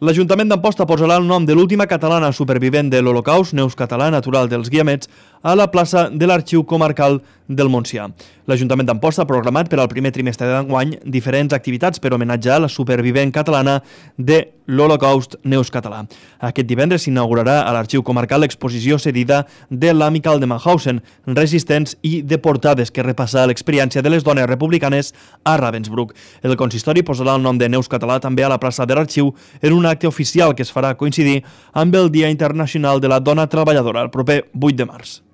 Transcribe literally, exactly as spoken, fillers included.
L'Ajuntament d'Amposta posarà el nom de l'última catalana supervivent de l'Holocaust, Neus Català, natural dels Guiamets, a la plaça de l'Arxiu Comarcal del Montsià. L'Ajuntament d'Amposta ha programat per al primer trimestre d'enguany diferents activitats per homenatjar la supervivent catalana de l'Holocaust, Neus Català. Aquest divendres s'inaugurarà a l'Arxiu Comarcal l'exposició cedida de l'Amical de Mauthausen, Resistents i Deportades, que repassa l'experiència de les dones republicanes a Ravensbrück. El consistori posarà el nom de Neus Català també a la plaça de l'Arxiu en un acte oficial que es farà coincidir amb el Dia Internacional de la Dona Treballadora, el proper vuit de març.